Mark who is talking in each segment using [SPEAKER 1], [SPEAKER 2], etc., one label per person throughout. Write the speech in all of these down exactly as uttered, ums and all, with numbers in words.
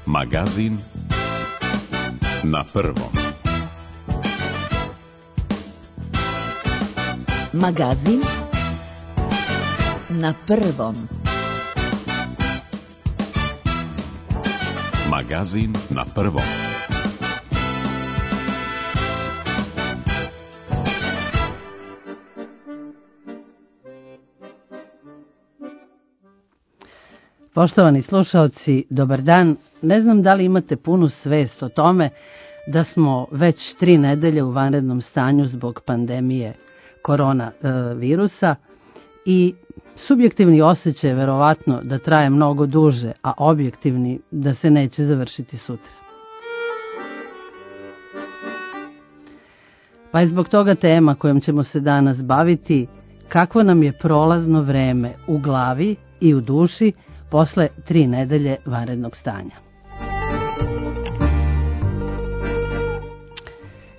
[SPEAKER 1] Magazin na prvom.
[SPEAKER 2] Magazin na prvom.
[SPEAKER 1] Magazin na prvom.
[SPEAKER 3] Poštovani slušaoci, dobar dan. Ne znam da li imate punu svest o tome da smo već tri nedelje u vanrednom stanju zbog pandemije koronavirusa i subjektivni osjećaj je verovatno da traje mnogo duže, a objektivni da se neće završiti sutra. Pa je zbog toga tema kojom ćemo se danas baviti kakvo nam je prolazno vreme u glavi i u duši posle tri nedelje vanrednog stanja.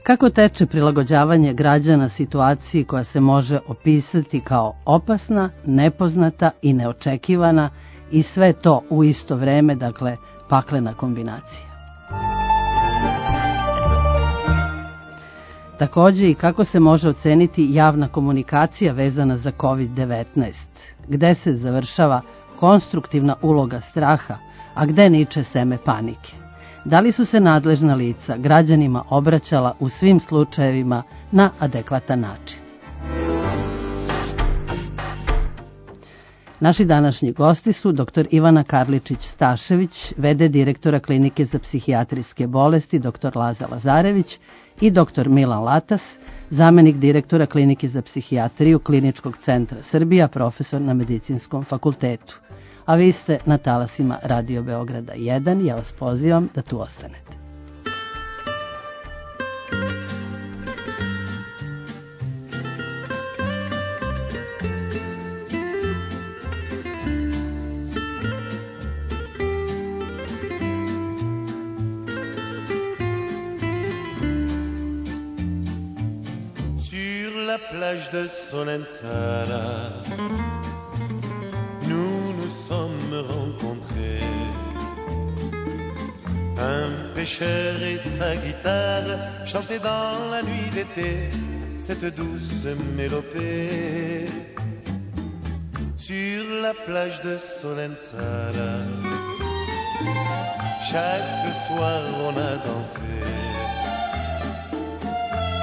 [SPEAKER 3] Kako teče prilagođavanje građana situaciji koja se može opisati kao opasna, nepoznata i neočekivana i sve to u isto vreme, dakle paklena kombinacija. Također i kako se može oceniti javna komunikacija vezana za kovid devetnaest, gde se završava konstruktivna uloga straha, a gde niče seme panike. Da li su se nadležna lica građanima obraćala u svim slučajevima na adekvatan način? Naši današnji gosti su doktor Ivana Karličić-Stašević, v d direktora Klinike za psihijatrijske bolesti doktor Laza Lazarević i doktor Milan Latas, zamenik direktora Klinike za psihijatriju Kliničkog centra Srbija, profesor na Medicinskom fakultetu. A vi ste na talasima Radio Beograda jedan, ja vas pozivam da tu ostanete.
[SPEAKER 4] Sur la plage de Solenzara, nous nous sommes rencontrés. Un pêcheur et sa guitare chantaient dans la nuit d'été cette douce mélopée. Sur la plage de Solenzara, chaque soir on a dansé.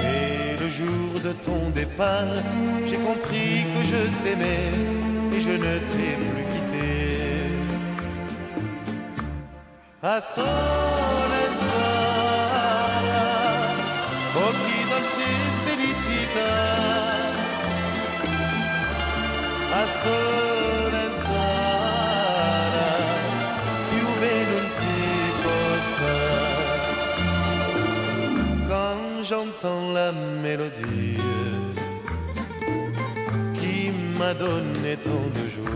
[SPEAKER 4] Et le jour de ton départ, j'ai compris que je t'aimais et je ne t'ai plus quitté. A Solenzara, oh chi dolce felicità. A Solenzara, più bene non si possa. Quand j'entends la mélodie qui m'a donné tant de joie,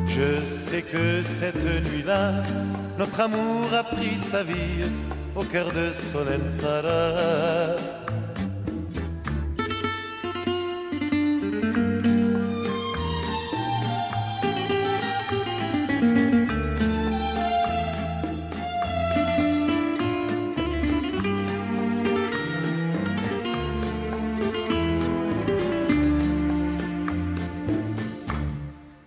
[SPEAKER 4] je sais que cette nuit-là, notre amour a pris sa vie au cœur de Solenzara.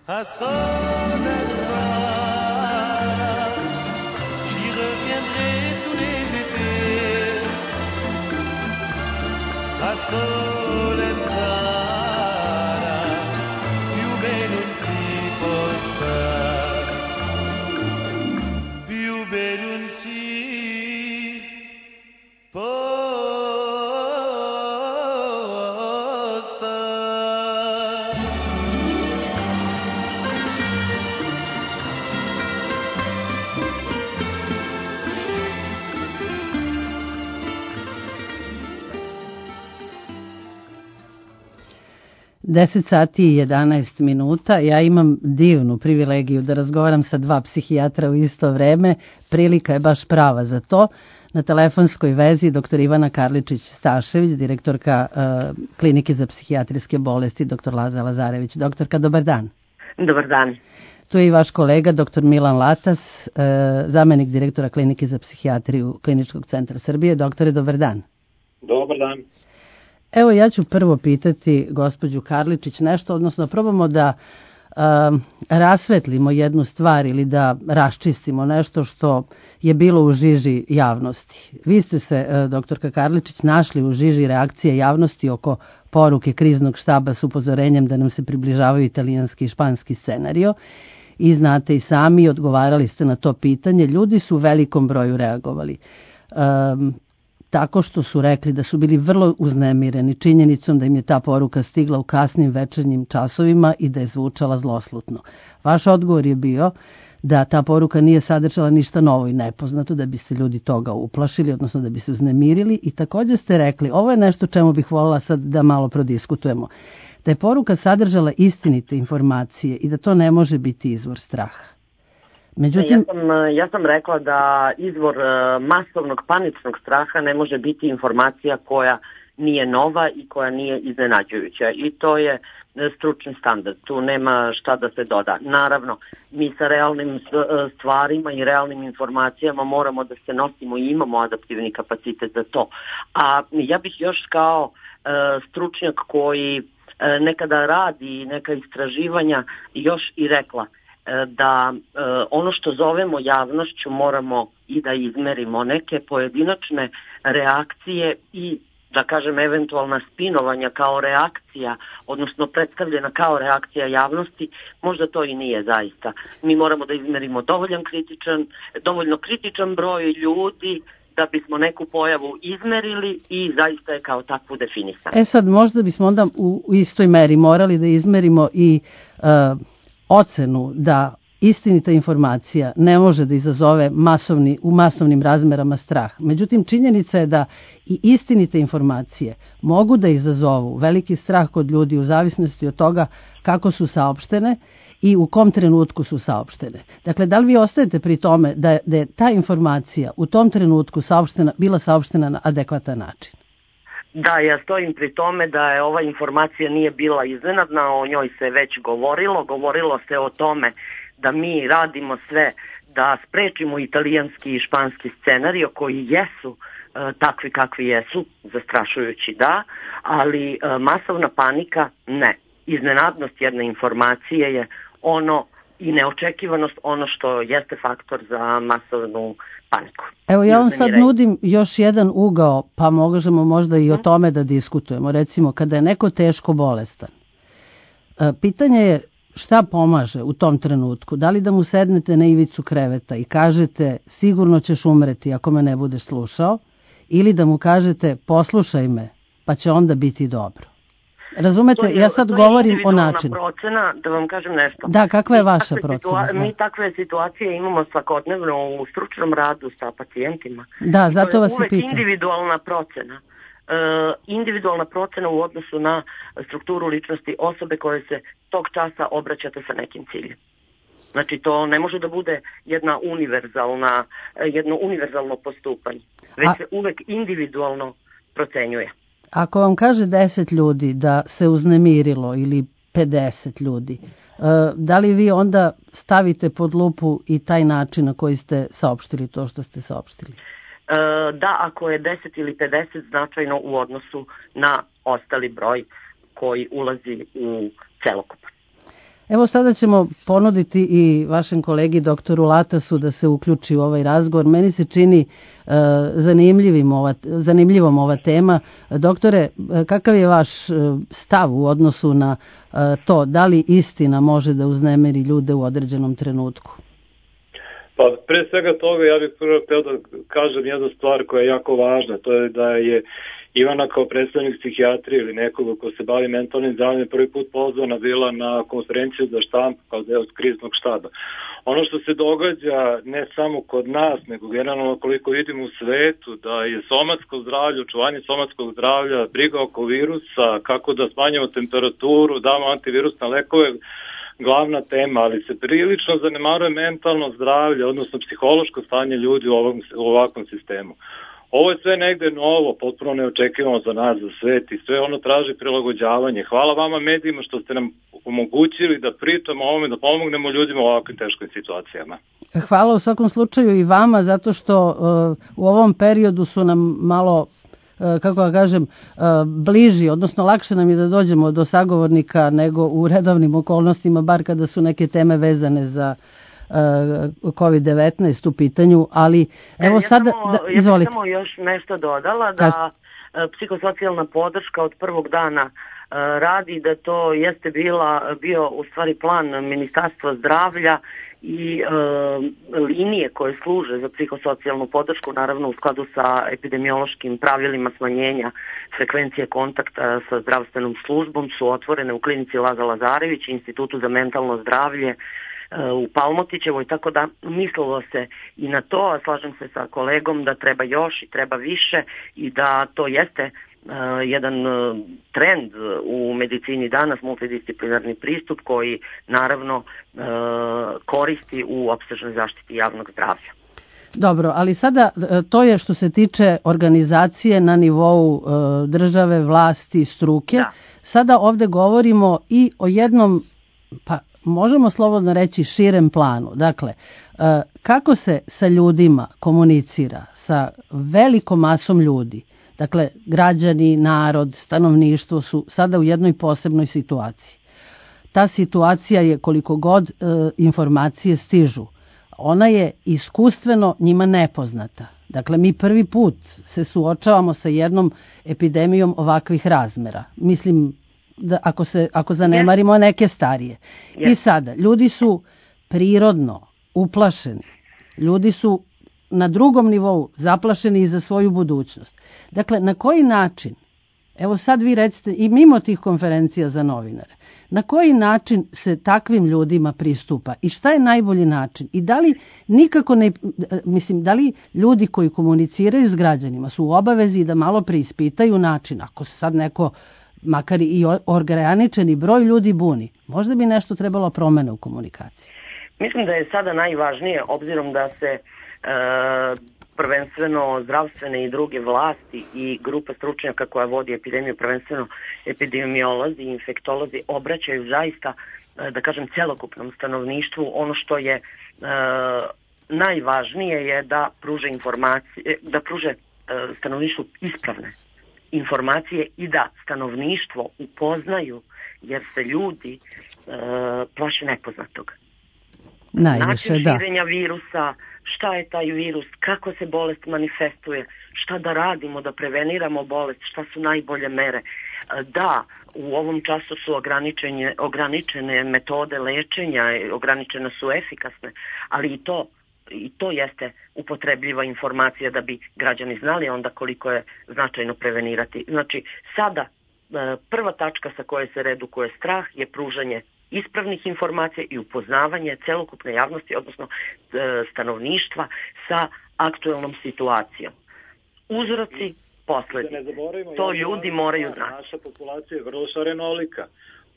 [SPEAKER 4] À Solenzara, j'y reviendrai tous les étés. A Solenzara, più bene non si possa, più bene non si possa.
[SPEAKER 3] deset sati i jedanaest minuta. Ja imam divnu privilegiju da razgovaram sa dva psihijatra u isto vreme. Prilika je baš prava za to. Na telefonskoj vezi doktor Ivana Karličić-Stašević, direktorka uh, Klinike za psihijatrijske bolesti doktor Laza Lazarević. Doktorka, dobar dan.
[SPEAKER 5] Dobar dan.
[SPEAKER 3] Tu je i vaš kolega, doktor Milan Latas, zamenik direktora Klinike za psihijatriju Kliničkog centra Srbije. Doktore, dobar dan.
[SPEAKER 2] Dobar dan.
[SPEAKER 3] Evo, ja ću prvo pitati gospođu Karličić nešto, odnosno probamo da uh, rasvetlimo jednu stvar ili da raščistimo nešto što je bilo u žiži javnosti. Vi ste se, uh, doktorka Karličić, našli u žiži reakcije javnosti oko poruke kriznog štaba s upozorenjem da nam se približavaju italijanski i španski scenario i znate i sami, odgovarali ste na to pitanje. Ljudi su u velikom broju reagovali. Um, tako što su rekli da su bili vrlo uznemireni činjenicom da im je ta poruka stigla u kasnim večernjim časovima i da je zvučala zloslutno. Vaš odgovor je bio da ta poruka nije sadržala ništa novo i nepoznato, da bi se ljudi toga uplašili, odnosno da bi se uznemirili, i također ste rekli, ovo je nešto čemu bih voljela sad da malo prodiskutujemo, da je poruka sadržala istinite informacije i da to ne može biti izvor straha. Međutim,
[SPEAKER 5] ja, sam, ja sam rekla da izvor masovnog paničnog straha ne može biti informacija koja nije nova i koja nije iznenađujuća, i to je stručni standard, tu nema šta da se doda. Naravno, mi sa realnim stvarima i realnim informacijama moramo da se nosimo i imamo adaptivni kapacitet za to. A ja bih još kao e, stručnjak koji e, nekada radi neka istraživanja još i rekla da e, ono što zovemo javnošću moramo i da izmerimo. Neke pojedinačne reakcije i, da kažem, eventualna spinovanja kao reakcija, odnosno predstavljena kao reakcija javnosti, možda to i nije zaista. Mi moramo da izmerimo dovoljan kritičan, dovoljno kritičan broj ljudi da bismo neku pojavu izmerili i zaista je kao takvu definisano.
[SPEAKER 3] E sad, možda bismo onda u, u istoj meri morali da izmerimo i uh, ocenu da istinita informacija ne može da izazove masovni, u masovnim razmerama strah. Međutim, činjenica je da i istinite informacije mogu da izazovu veliki strah kod ljudi u zavisnosti od toga kako su saopštene i u kom trenutku su saopštene. Dakle, da li vi ostajete pri tome da, da je ta informacija u tom trenutku saopštena, bila saopštena na adekvatan način?
[SPEAKER 5] Da, ja stojim pri tome da je ova informacija nije bila iznenadna, o njoj se već govorilo, govorilo se o tome da mi radimo sve da sprečimo italijanski i španski scenario koji jesu e, takvi kakvi jesu, zastrašujući da, ali e, masovna panika ne. Iznenadnost jedne informacije je ono i neočekivanost ono što jeste faktor za masovnu paniku.
[SPEAKER 3] Evo, ja vam sad nudim još jedan ugao, pa možemo možda i o tome da diskutujemo. Recimo, kada je neko teško bolestan, pitanje je šta pomaže u tom trenutku. Da li da mu sednete na ivicu kreveta i kažete sigurno ćeš umreti ako me ne budeš slušao, ili da mu kažete poslušaj me pa će onda biti dobro. Razumete,
[SPEAKER 5] je,
[SPEAKER 3] ja sad govorim o načinu.
[SPEAKER 5] Procena, da vam kažem nešto.
[SPEAKER 3] Da, kakva je vaša
[SPEAKER 5] mi
[SPEAKER 3] procena?
[SPEAKER 5] Situa- mi takve situacije imamo svakodnevno u stručnom radu sa pacijentima.
[SPEAKER 3] Da, zato vas i pitam.
[SPEAKER 5] To je uvek individualna procena. E, individualna procena u odnosu na strukturu ličnosti osobe koje se tog časa obraćate sa nekim ciljem. Znači, to ne može da bude jedna univerzalna, jedno univerzalno postupanje, već A... se uvek individualno procenjuje.
[SPEAKER 3] Ako vam kaže deset ljudi da se uznemirilo ili pedeset ljudi, da li vi onda stavite pod lupu i taj način na koji ste saopštili to što ste saopštili?
[SPEAKER 5] Da, ako je deset ili pedeset značajno u odnosu na ostali broj koji ulazi u celokupan.
[SPEAKER 3] Evo, sada ćemo ponuditi i vašem kolegi doktoru Latasu da se uključi u ovaj razgovor. Meni se čini uh, zanimljivim ova, zanimljivom ova tema. Doktore, kakav je vaš uh, stav u odnosu na uh, to da li istina može da uznemiri ljude u određenom trenutku?
[SPEAKER 2] Pa pre svega toga ja bih prvo htio da kažem jednu stvar koja je jako važna, to je da je Ivana kao predstavnik psihijatrije ili nekoga ko se bavi mentalnim zdravljem prvi put pozvana bila na konferenciju za štampu kao deo kriznog štaba. Ono što se događa ne samo kod nas, nego generalno koliko vidimo u svetu, da je somatsko zdravlje, očuvanje somatskog zdravlja, briga oko virusa, kako da smanjimo temperaturu, damo antivirusne lekove, glavna tema, ali se prilično zanemaruje mentalno zdravlje, odnosno psihološko stanje ljudi u, ovom, u ovakvom sistemu. Ovo je sve negde novo, potpuno neočekivano za nas, za svet i sve ono traži prilagođavanje. Hvala vama medijima što ste nam omogućili da pričamo o ovome, da pomognemo ljudima u ovakvim teškim situacijama.
[SPEAKER 3] Hvala u svakom slučaju i vama, zato što uh, u ovom periodu su nam malo, uh, kako da kažem, uh, bliži, odnosno lakše nam je da dođemo do sagovornika nego u redovnim okolnostima, bar kada su neke teme vezane za kovid devetnaest u pitanju, ali evo
[SPEAKER 5] ja
[SPEAKER 3] sada...
[SPEAKER 5] Samo,
[SPEAKER 3] da,
[SPEAKER 5] ja
[SPEAKER 3] izvolite.
[SPEAKER 5] bih samo još nešto dodala, da Kaži. Psihosocijalna podrška od prvog dana radi, da to jeste bila, bio u stvari plan Ministarstva zdravlja i e, linije koje služe za psihosocijalnu podršku, naravno u skladu sa epidemiološkim pravilima smanjenja frekvencije kontakta sa zdravstvenom službom, su otvorene u klinici Laza Lazarević i Institutu za mentalno zdravlje u Palmotićevoj, tako da mislilo se i na to, a slažem se sa kolegom da treba još i treba više i da to jeste uh, jedan uh, trend u medicini danas, multidisciplinarni pristup koji naravno uh, koristi u opsežnoj zaštiti javnog zdravlja.
[SPEAKER 3] Dobro, ali sada to je što se tiče organizacije na nivou uh, države, vlasti, struke. Da. Sada ovde govorimo i o jednom, pa možemo slobodno reći, širem planu. Dakle, kako se sa ljudima komunicira, sa velikom masom ljudi, dakle, građani, narod, stanovništvo su sada u jednoj posebnoj situaciji. Ta situacija je, koliko god informacije stižu, ona je iskustveno njima nepoznata. Dakle, mi prvi put se suočavamo sa jednom epidemijom ovakvih razmera. Mislim, da ako se ako zanemarimo yes. neke starije. Yes. I sada ljudi su prirodno uplašeni. Ljudi su na drugom nivou zaplašeni i za svoju budućnost. Dakle, na koji način, evo sad vi recite, i mimo tih konferencija za novinare, na koji način se takvim ljudima pristupa i šta je najbolji način? I da li nikako ne, mislim, da li ljudi koji komuniciraju s građanima su u obavezi da malo preispitaju način, ako se sad neko makar i ograničeni broj ljudi buni, možda bi nešto trebalo promene u komunikaciji.
[SPEAKER 5] Mislim da je sada najvažnije, obzirom da se e, prvenstveno zdravstvene i druge vlasti i grupa stručnjaka koja vodi epidemiju, prvenstveno epidemiolozi i infektolozi, obraćaju zaista, e, da kažem, celokupnom stanovništvu. Ono što je e, najvažnije je da pruže informacije, da pruže e, stanovništvu ispravne informacije i da stanovništvo upoznaju, jer se ljudi e, plaše nepoznatog.
[SPEAKER 3] Najviše,
[SPEAKER 5] način
[SPEAKER 3] da.
[SPEAKER 5] širenja virusa, šta je taj virus, kako se bolest manifestuje, šta da radimo da preveniramo bolest, šta su najbolje mere. Da, u ovom času su ograničene, ograničene metode lečenja, ograničene su efikasne, ali i to i to jeste upotrebljiva informacija da bi građani znali onda koliko je značajno prevenirati. Znači, sada prva tačka sa koje se redukuje strah je pružanje ispravnih informacija i upoznavanje celokupne javnosti, odnosno stanovništva sa aktuelnom situacijom. Uzroci, posledice. To ljudi moraju znati.
[SPEAKER 2] Naša populacija je vrlo šarenolika.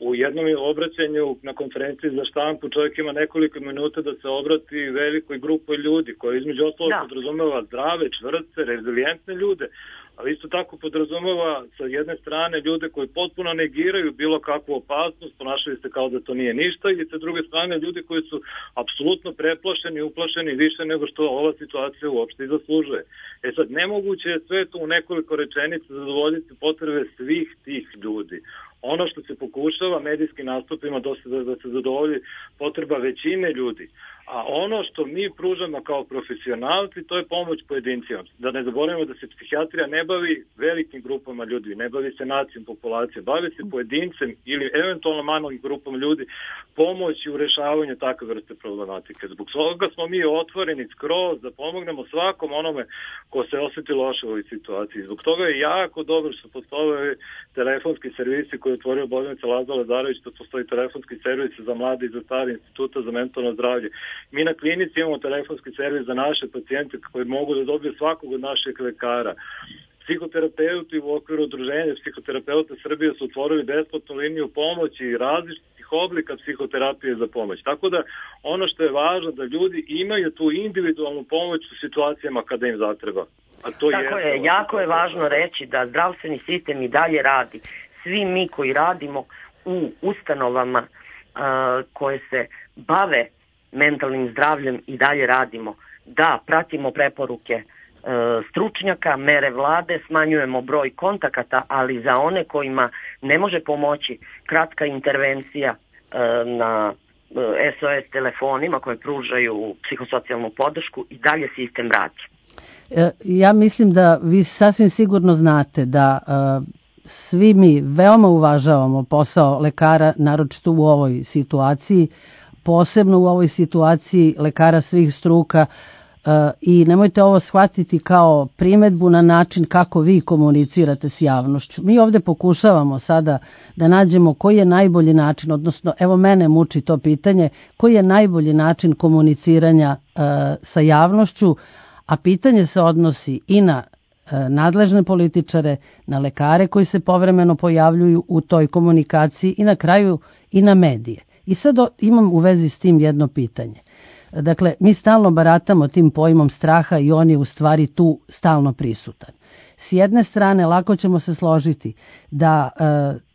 [SPEAKER 2] U jednom obraćanju na konferenciji za štampu čovjek ima nekoliko minuta da se obrati velikoj grupi ljudi, koja između ostalog da. podrazumeva zdrave, čvrste, rezilijentne ljude, ali isto tako podrazumeva sa jedne strane ljude koji potpuno negiraju bilo kakvu opasnost, ponašaju se kao da to nije ništa, i sa druge strane ljudi koji su apsolutno preplašeni, uplašeni više nego što ova situacija uopšte i zaslužuje. E sad, nemoguće je sve to u nekoliko rečenica zadovoljiti potrebe svih tih ljudi. Ono što se pokušava medijskim nastupima dosta da, da se zadovolji potreba većine ljudi. A ono što mi pružamo kao profesionalci, to je pomoć pojedincima. Da ne zaboravimo da se psihijatrija ne bavi velikim grupama ljudi, ne bavi se nacijom populacije, bavi se pojedincem ili eventualno malim grupom ljudi pomoći u rešavanju takve vrste problematike. Zbog toga smo mi otvoreni skroz da pomognemo svakom onome ko se osjeti loše u ovoj situaciji. Zbog toga je jako dobro što postoje telefonski servisi koje je otvorio bolnica Laza Lazarević, što postoji telefonski servis za mlade i za stare, Instituta za mentalno zdravlje. Mi na klinici imamo telefonski servis za naše pacijente koji mogu da dobiju svakog od naših lekara. Psihoterapeuti u okviru udruženja Psihoterapeuta Srbije su otvorili besplatnu liniju pomoći i različitih oblika psihoterapije za pomoć. Tako da ono što je važno da ljudi imaju tu individualnu pomoć u situacijama kada im zatreba. A to
[SPEAKER 5] Tako
[SPEAKER 2] je,
[SPEAKER 5] je, jako je važno reći da zdravstveni sistem i dalje radi. Svi mi koji radimo u ustanovama uh, koje se bave mentalnim zdravljem i dalje radimo. Da, pratimo preporuke uh, stručnjaka, mere vlade, smanjujemo broj kontakata, ali za one kojima ne može pomoći kratka intervencija uh, na uh, S O S telefonima koje pružaju psihosocijalnu podršku i dalje sistem radi.
[SPEAKER 3] Ja mislim da vi sasvim sigurno znate da uh, svi mi veoma uvažavamo posao lekara, naročito u ovoj situaciji, posebno u ovoj situaciji lekara svih struka, uh, i nemojte ovo shvatiti kao primedbu na način kako vi komunicirate s javnošću. Mi ovde pokušavamo sada da nađemo koji je najbolji način, odnosno evo mene muči to pitanje, koji je najbolji način komuniciranja uh, sa javnošću, a pitanje se odnosi i na e, nadležne političare, na lekare koji se povremeno pojavljuju u toj komunikaciji i na kraju i na medije. I sad o, imam u vezi s tim jedno pitanje. Dakle, mi stalno baratamo tim pojmom straha i on je u stvari tu stalno prisutan. S jedne strane, lako ćemo se složiti da e,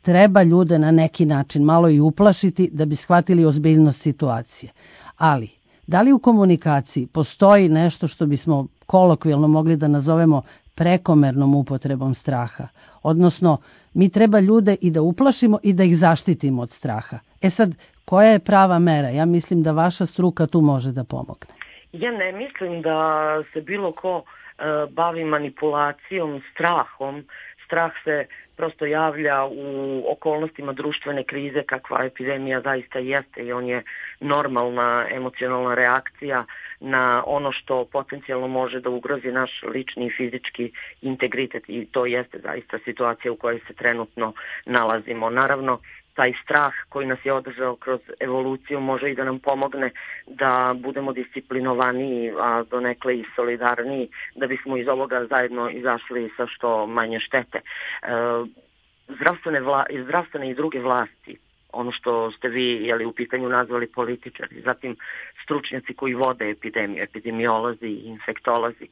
[SPEAKER 3] treba ljude na neki način malo i uplašiti da bi shvatili ozbiljnost situacije. Ali, da li u komunikaciji postoji nešto što bismo kolokvijalno mogli da nazovemo prekomernom upotrebom straha? Odnosno, mi treba ljude i da uplašimo i da ih zaštitimo od straha. E sad, koja je prava mera? Ja mislim da vaša struka tu može da pomogne.
[SPEAKER 5] Ja ne mislim da se bilo ko e, bavi manipulacijom, strahom. Strah se prosto javlja u okolnostima društvene krize kakva epidemija zaista jeste i on je normalna emocionalna reakcija na ono što potencijalno može da ugrozi naš lični i fizički integritet i to jeste zaista situacija u kojoj se trenutno nalazimo. Naravno, taj strah koji nas je održao kroz evoluciju može i da nam pomogne da budemo disciplinovaniji, a donekle i solidarniji, da bismo iz ovoga zajedno izašli sa što manje štete. E, zdravstvene, vla, zdravstvene i druge vlasti, ono što ste vi jeli, u pitanju nazvali političari, zatim stručnjaci koji vode epidemiju, epidemiolozi i infektolozi, e,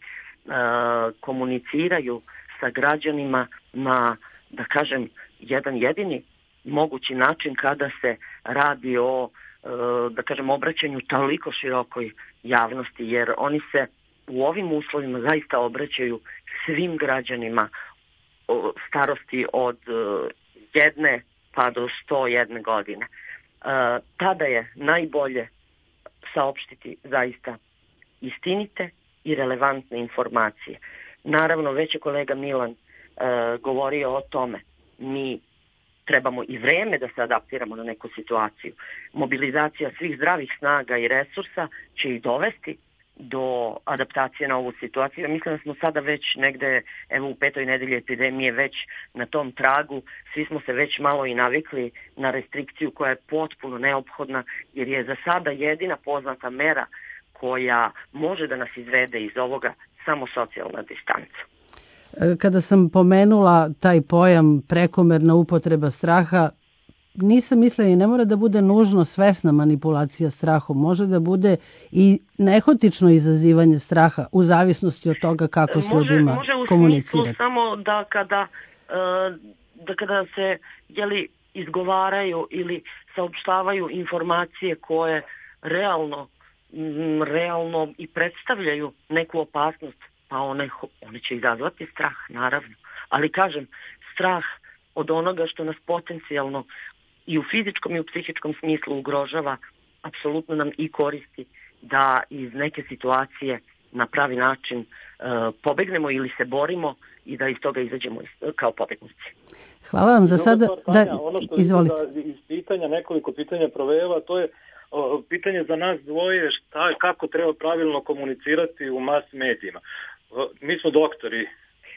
[SPEAKER 5] komuniciraju sa građanima na, da kažem, jedan jedini mogući način kada se radi o, da kažem, obraćanju toliko širokoj javnosti, jer oni se u ovim uslovima zaista obraćaju svim građanima starosti od jedne pa do sto jedne godine. Tada je najbolje saopštiti zaista istinite i relevantne informacije. Naravno, već je kolega Milan govorio o tome, mi trebamo i vreme da se adaptiramo na neku situaciju. Mobilizacija svih zdravih snaga i resursa će i dovesti do adaptacije na ovu situaciju. Mislim da smo sada već negde, evo u petoj nedelji epidemije, već na tom tragu. Svi smo se već malo i navikli na restrikciju koja je potpuno neophodna, jer je za sada jedina poznata mera koja može da nas izvede iz ovoga samo socijalna distanca.
[SPEAKER 3] Kada sam pomenula taj pojam prekomerna upotreba straha, nisam mislila i ne mora da bude nužno svesna manipulacija strahom, može da bude i nehotično izazivanje straha u zavisnosti od toga kako s ljudima komunicirati. Može u smislu
[SPEAKER 5] samo da kada, da kada se jeli, izgovaraju ili saopštavaju informacije koje realno, realno i predstavljaju neku opasnost, pa one, one će izazvati strah, naravno. Ali kažem, strah od onoga što nas potencijalno i u fizičkom i u psihičkom smislu ugrožava, apsolutno nam i koristi da iz neke situacije na pravi način e, pobegnemo ili se borimo i da iz toga izađemo kao pobegnici.
[SPEAKER 3] Hvala vam za sada. Da,
[SPEAKER 2] ono što
[SPEAKER 3] izvolite.
[SPEAKER 2] Da iz pitanja, nekoliko pitanja provela, to je o, pitanje za nas dvoje, šta, kako treba pravilno komunicirati u mas medijima. O, mi smo doktori.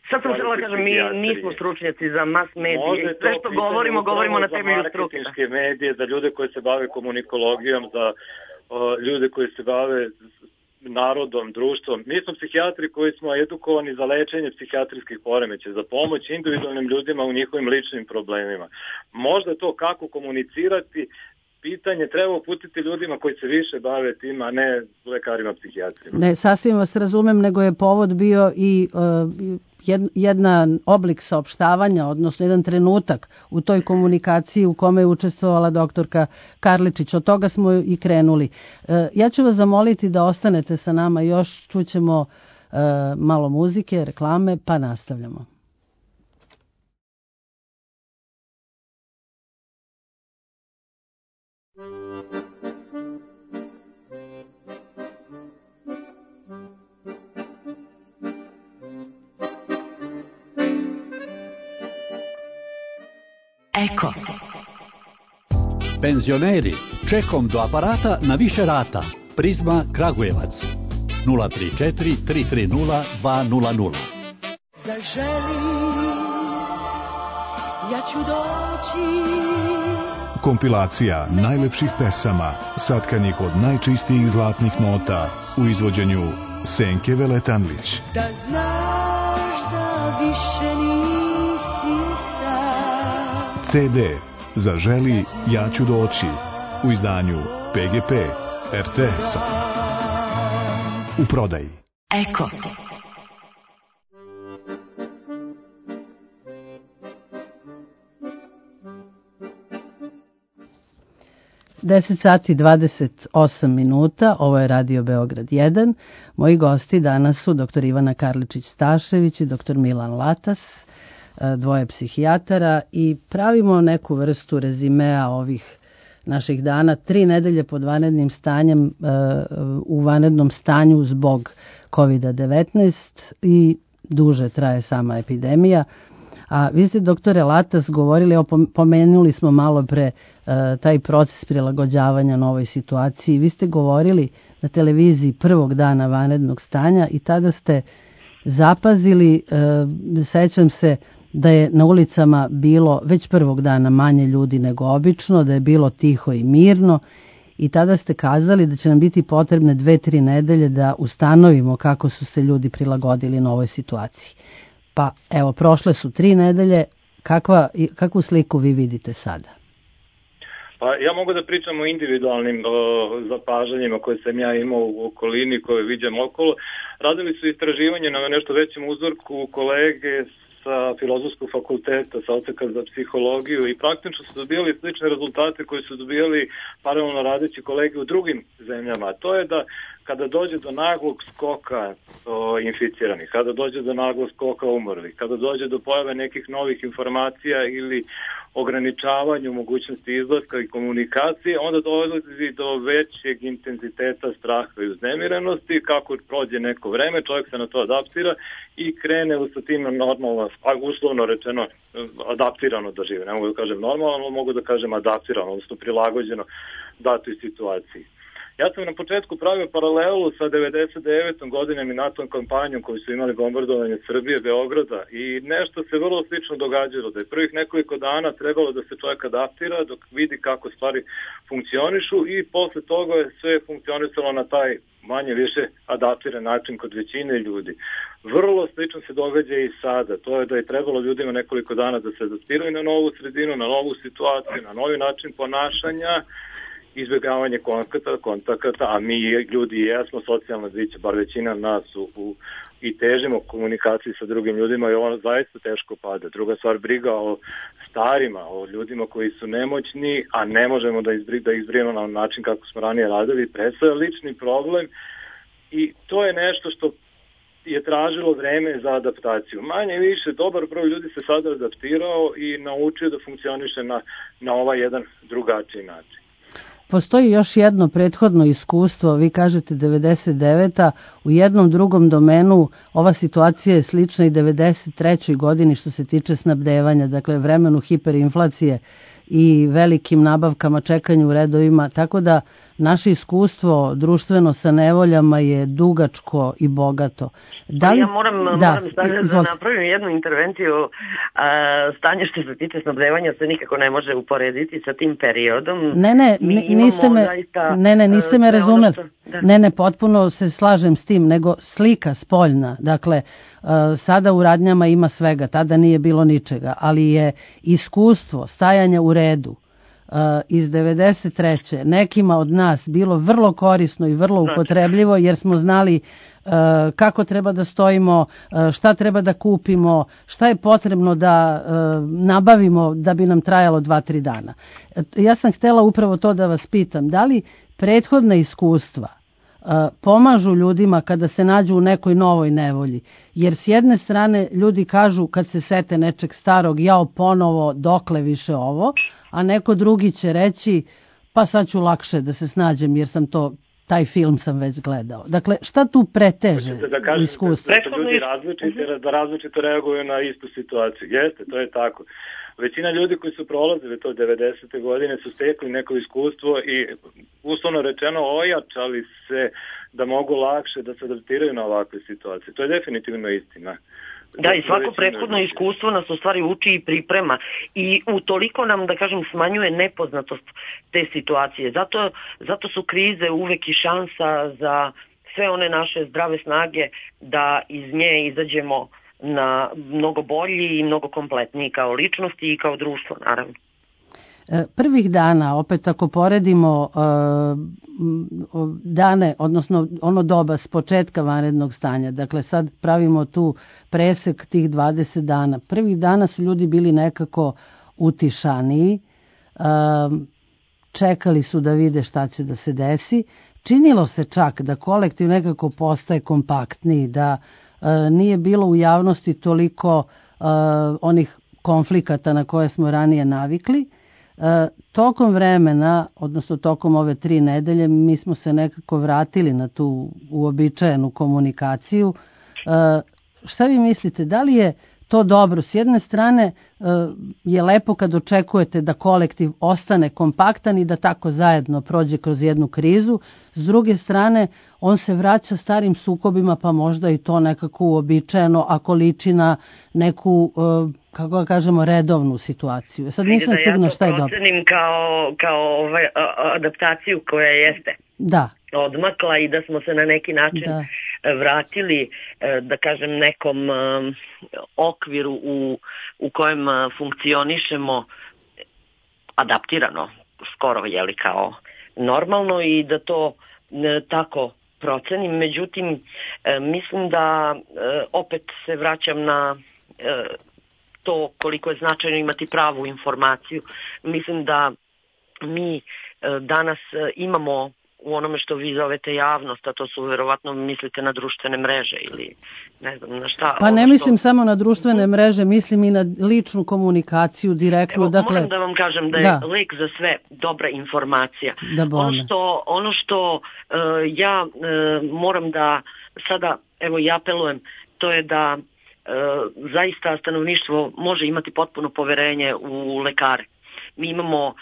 [SPEAKER 5] Sad sam žela kažem, mi nismo stručnjaci za mas medije. Sve što govorimo, govorimo na temelju struke.
[SPEAKER 2] Za marketinške medije, za ljude koji se bave komunikologijom, za o, ljude koji se bave narodom, društvom. Mi smo psihijatri koji smo edukovani za lečenje psihijatrijskih poremećaja, za pomoć individualnim ljudima u njihovim ličnim problemima. Možda to kako komunicirati, pitanje treba uputiti ljudima koji se više bave tim, a ne lekarima psihijatrima.
[SPEAKER 3] Ne, sasvim vas razumem, nego je povod bio i uh, jedan oblik saopštavanja, odnosno jedan trenutak u toj komunikaciji u kome je učestvovala doktorka Karličić. Od toga smo i krenuli. Uh, ja ću vas zamoliti da ostanete sa nama još, čućemo uh, malo muzike, reklame, pa nastavljamo.
[SPEAKER 6] Eko.
[SPEAKER 7] Penzioneri, čekom do aparata na više rata. Prizma Kragujevac. nula tri četiri tri tri nula dva nula nula.
[SPEAKER 6] Zaželi, ja ću doći.
[SPEAKER 8] Kompilacija najlepših pesama, satkanih od najčistijih zlatnih nota u izvođenju Senke Veletanlić.
[SPEAKER 6] Da znaš da više nisi sam.
[SPEAKER 8] ce de Zaželi, ja ću doći u izdanju pe ge pe er te es-a. U prodaji.
[SPEAKER 6] Eko.
[SPEAKER 3] deset sati dvadeset osam minuta, ovo je Radio Beograd jedan. Moji gosti danas su doktor Ivana Karličić-Stašević i doktor Milan Latas, dvoje psihijatara, i pravimo neku vrstu rezimea ovih naših dana. Tri nedelje pod vanrednim stanjem, u vanrednom stanju zbog kovid devetnaest i duže traje sama epidemija. A vi ste, doktore Latas, govorili, pomenuli smo malo pre taj proces prilagođavanja novoj situaciji. Vi ste govorili na televiziji prvog dana vanrednog stanja i tada ste zapazili, sećam se da je na ulicama bilo već prvog dana manje ljudi nego obično, da je bilo tiho i mirno, i tada ste kazali da će nam biti potrebne dve, tri nedelje da ustanovimo kako su se ljudi prilagodili novoj situaciji. Pa evo, prošle su tri nedelje, kakva, kakvu sliku vi vidite sada?
[SPEAKER 2] Pa ja mogu da pričam o individualnim o, zapažanjima koje sam ja imao u okolini, koje vidim okolo. Radili su istraživanje na nešto većem uzorku kolege sa Filozofskog fakulteta, sa odseka za psihologiju, i praktično su dobijali slične rezultate koje su dobijali paralelno radeći kolege u drugim zemljama. To je da kada dođe do naglog skoka o, inficiranih, kada dođe do naglog skoka umrlih, kada dođe do pojave nekih novih informacija ili ograničavanju mogućnosti izlaska i komunikacije, onda dolazi do većeg intenziteta straha i uznemirenosti. Kako prođe neko vreme, čovjek se na to adaptira i krene sa tim normalno, uslovno rečeno, adaptirano da žive. Ne mogu da kažem normalno, mogu da kažem adaptirano, odnosno prilagođeno datoj situaciji. Ja sam na početku pravio paralelu sa devedeset devetom godinom i NATO kampanjom koju su imali bombardovanje Srbije, Beograda, i nešto se vrlo slično događalo, da je prvih nekoliko dana trebalo da se čovjek adaptira dok vidi kako stvari funkcionišu, i posle toga je sve funkcionisalo na taj manje više adaptiran način kod većine ljudi. Vrlo slično se događa i sada, to je da je trebalo ljudima nekoliko dana da se adaptiraju na novu sredinu, na novu situaciju, na novi način ponašanja, izbjegavanje kontakata, kontakata, a mi ljudi jesmo socijalna bića, bar većina nas u, u, i težimo komunikaciji sa drugim ljudima, i ono zaista teško pada. Druga stvar, briga o starima, o ljudima koji su nemoćni, a ne možemo da, izbri, da izbrijemo na način kako smo ranije radili, predstavlja lični problem, i to je nešto što je tražilo vreme za adaptaciju. Manje više, dobar broj ljudi se sada adaptirao i naučio da funkcioniše na, na ovaj jedan drugačiji način.
[SPEAKER 3] Postoji još jedno prethodno iskustvo, vi kažete devedeset deveta, u jednom drugom domenu ova situacija je slična i devedeset trećoj godini što se tiče snabdevanja, dakle vremenu hiperinflacije i velikim nabavkama, čekanju u redovima, tako da naše iskustvo društveno sa nevoljama je dugačko i bogato.
[SPEAKER 5] Da li... Ja moram, da, moram stavljati da napravim jednu intervenciju. A, stanje što se tiče snabdevanja se nikako ne može uporediti sa tim periodom.
[SPEAKER 3] Ne, ne, niste me, zaista, ne, ne, niste me razumeli. Što, da. Ne, ne, potpuno se slažem s tim, nego slika spoljna. Dakle, sada u radnjama ima svega, tada nije bilo ničega, ali je iskustvo stajanja u redu, iz devedeset treće nekima od nas bilo vrlo korisno i vrlo upotrebljivo, jer smo znali kako treba da stojimo, šta treba da kupimo, šta je potrebno da nabavimo da bi nam trajalo dva, tri dana. Ja sam htjela upravo to da vas pitam, da li prethodna iskustva pomažu ljudima kada se nađu u nekoj novoj nevolji? Jer s jedne strane ljudi kažu kad se sete nečeg starog, jao ponovo, dokle više ovo, a neko drugi će reći pa sad ću lakše da se snađem jer sam to, taj film sam već gledao. Dakle, šta tu preteže
[SPEAKER 2] da kažem,
[SPEAKER 3] iskustvo?
[SPEAKER 2] Da su ljudi različiti, da različito reaguju na istu situaciju. Jeste, to je tako. Većina ljudi koji su prolazili to devedesete godine su stekli neko iskustvo i uslovno rečeno ojačali se da mogu lakše da se adaptiraju na ovakve situacije. To je definitivno istina.
[SPEAKER 5] Da, i svako prethodno iskustvo nas u stvari uči i priprema i utoliko nam, da kažem, smanjuje nepoznatost te situacije. Zato, zato su krize uvek i šansa za sve one naše zdrave snage da iz nje izađemo na mnogo bolji i mnogo kompletniji kao ličnosti i kao društvo, naravno.
[SPEAKER 3] Prvih dana, opet ako poredimo dane, odnosno ono doba s početka vanrednog stanja, dakle sad pravimo tu presek tih dvadeset dana. Prvih dana su ljudi bili nekako utišaniji, čekali su da vide šta će da se desi. Činilo se čak da kolektiv nekako postaje kompaktniji, da nije bilo u javnosti toliko onih konflikata na koje smo ranije navikli. E, tokom vremena, odnosno tokom ove tri nedelje, mi smo se nekako vratili na tu uobičajenu komunikaciju. E, šta vi mislite, da li je to dobro? S jedne strane e, je lepo kad očekujete da kolektiv ostane kompaktan i da tako zajedno prođe kroz jednu krizu, s druge strane on se vraća starim sukobima, pa možda i to nekako uobičajeno ako liči na neku, kako da kažemo, redovnu situaciju. Sad nisam
[SPEAKER 5] da
[SPEAKER 3] sigurna šta je dobro.
[SPEAKER 5] Ja to procenim kao, kao ovaj, adaptaciju koja jeste
[SPEAKER 3] da.
[SPEAKER 5] odmakla i da smo se na neki način da. vratili, da kažem, nekom okviru u, u kojem funkcionišemo adaptirano, skoro jeli kao normalno, i da to tako procenim. Međutim, mislim da opet se vraćam na to koliko je značajno imati pravu informaciju. Mislim da mi danas imamo u onome što vi zovete javnost, a to su verovatno mislite na društvene mreže ili ne znam na šta.
[SPEAKER 3] Pa ne što... mislim samo na društvene mreže, mislim i na ličnu komunikaciju direktno.
[SPEAKER 5] Evo,
[SPEAKER 3] dakle...
[SPEAKER 5] moram da vam kažem da je da. lek za sve dobra informacija.
[SPEAKER 3] Da
[SPEAKER 5] ono što, ono što uh, ja uh, moram da sada, evo i apelujem, to je da uh, zaista stanovništvo može imati potpuno poverenje u lekare. Mi imamo uh,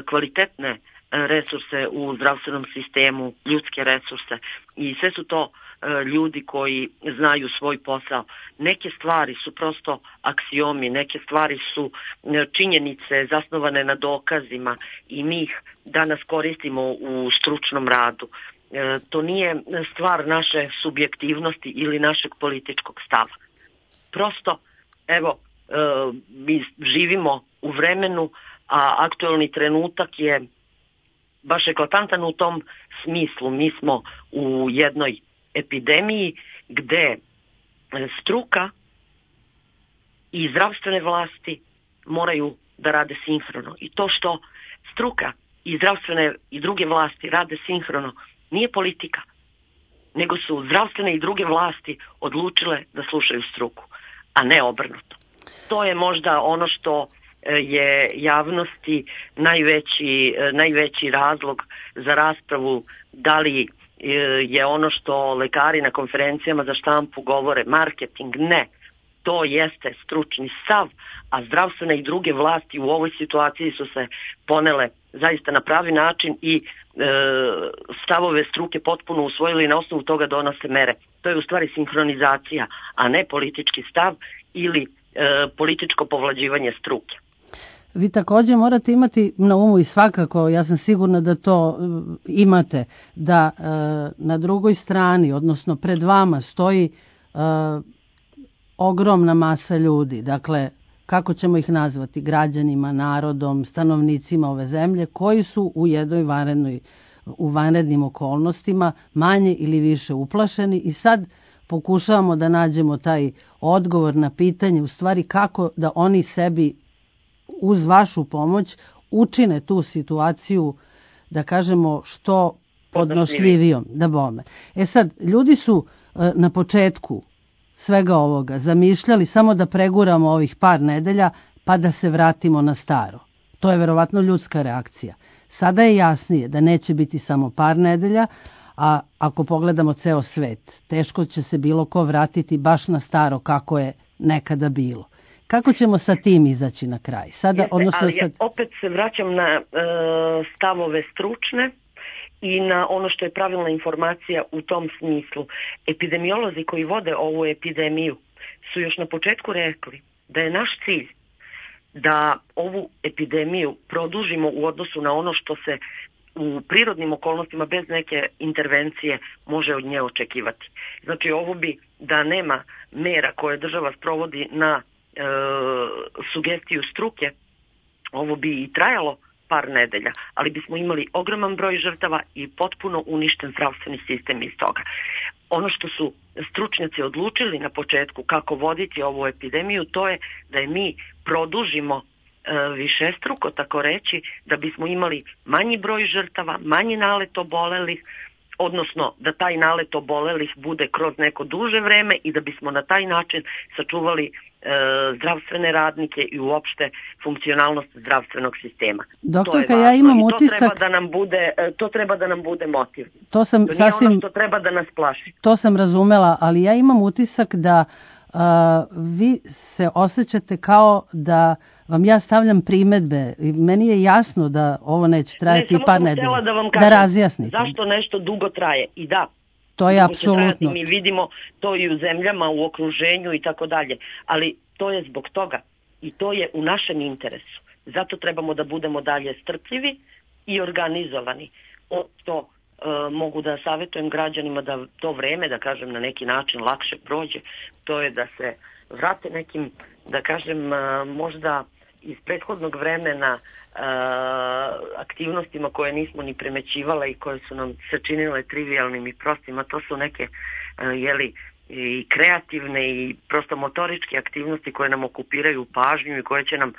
[SPEAKER 5] kvalitetne resurse u zdravstvenom sistemu, ljudske resurse, i sve su to e, ljudi koji znaju svoj posao. Neke stvari su prosto aksiomi, neke stvari su e, činjenice zasnovane na dokazima i mi ih danas koristimo u stručnom radu. E, to nije stvar naše subjektivnosti ili našeg političkog stava. Prosto, evo, e, mi živimo u vremenu, a aktuelni trenutak je baš eklatantan u tom smislu. Mi smo u jednoj epidemiji gde struka i zdravstvene vlasti moraju da rade sinhrono. I to što struka i zdravstvene i druge vlasti rade sinhrono nije politika, nego su zdravstvene i druge vlasti odlučile da slušaju struku, a ne obrnuto. To je možda ono što je javnosti najveći, najveći razlog za raspravu, da li je ono što lekari na konferencijama za štampu govore marketing. Ne, to jeste stručni stav, a zdravstvene i druge vlasti u ovoj situaciji su se ponele zaista na pravi način i e, stavove struke potpuno usvojili, na osnovu toga donose mere. To je u stvari sinhronizacija, a ne politički stav ili e, političko povlađivanje struke.
[SPEAKER 3] Vi također morate imati na umu, i svakako ja sam sigurna da to imate, da e, na drugoj strani, odnosno pred vama stoji e, ogromna masa ljudi. Dakle, kako ćemo ih nazvati, građanima, narodom, stanovnicima ove zemlje, koji su u jednoj vanrednoj, u vanrednim okolnostima manje ili više uplašeni i sad pokušavamo da nađemo taj odgovor na pitanje u stvari kako da oni sebi uz vašu pomoć učine tu situaciju, da kažemo, što podnošljivijom, da bome. E sad, ljudi su e, na početku svega ovoga zamišljali samo da preguramo ovih par nedelja pa da se vratimo na staro. To je verovatno ljudska reakcija. Sada je jasnije da neće biti samo par nedelja, a ako pogledamo ceo svet, teško će se bilo ko vratiti baš na staro kako je nekada bilo. Kako ćemo sa tim izaći na kraj? Sada,
[SPEAKER 5] Jeste,
[SPEAKER 3] odnosno,
[SPEAKER 5] ali
[SPEAKER 3] sad...
[SPEAKER 5] ja opet se vraćam na e, stavove stručne i na ono što je pravilna informacija u tom smislu. Epidemiolozi koji vode ovu epidemiju su još na početku rekli da je naš cilj da ovu epidemiju produžimo u odnosu na ono što se u prirodnim okolnostima bez neke intervencije može od nje očekivati. Znači ovo bi da nema mera koje država sprovodi na e, sugestiju struke, ovo bi i trajalo par nedelja, ali bismo imali ogroman broj žrtava i potpuno uništen zdravstveni sistem iz toga. Ono što su stručnjaci odlučili na početku kako voditi ovu epidemiju, to je da je mi produžimo višestruko, tako reći, da bismo imali manji broj žrtava, manji nalet obolelih, odnosno da taj nalet obolelih bude kroz neko duže vreme i da bismo na taj način sačuvali e, zdravstvene radnike i uopšte funkcionalnost zdravstvenog sistema.
[SPEAKER 3] Doktorka, ja imam
[SPEAKER 5] I to
[SPEAKER 3] utisak...
[SPEAKER 5] treba da nam bude, to treba da nam bude motiv.
[SPEAKER 3] To sam
[SPEAKER 5] to nije
[SPEAKER 3] sasvim...
[SPEAKER 5] ono što treba da nas plaši.
[SPEAKER 3] To sam razumela, ali ja imam utisak da Uh, vi se osjećate kao da vam ja stavljam primedbe i meni je jasno da ovo neće trajati
[SPEAKER 5] ne,
[SPEAKER 3] par nedelja.
[SPEAKER 5] Da, vam
[SPEAKER 3] kažem, da razjasnite.
[SPEAKER 5] Zašto nešto dugo traje? I da,
[SPEAKER 3] to je apsolutno.
[SPEAKER 5] Mi vidimo to i u zemljama, u okruženju i tako dalje. Ali to je zbog toga i to je u našem interesu. Zato trebamo da budemo dalje strpljivi i organizovani. O to E, mogu da savjetujem građanima da to vreme, da kažem, na neki način lakše prođe, to je da se vrate nekim, da kažem, e, možda iz prethodnog vremena e, aktivnostima koje nismo ni primećivale i koje su nam se činile trivialnim i prostima. To su neke e, jeli, i kreativne i prosto motoričke aktivnosti koje nam okupiraju pažnju i koje će nam e,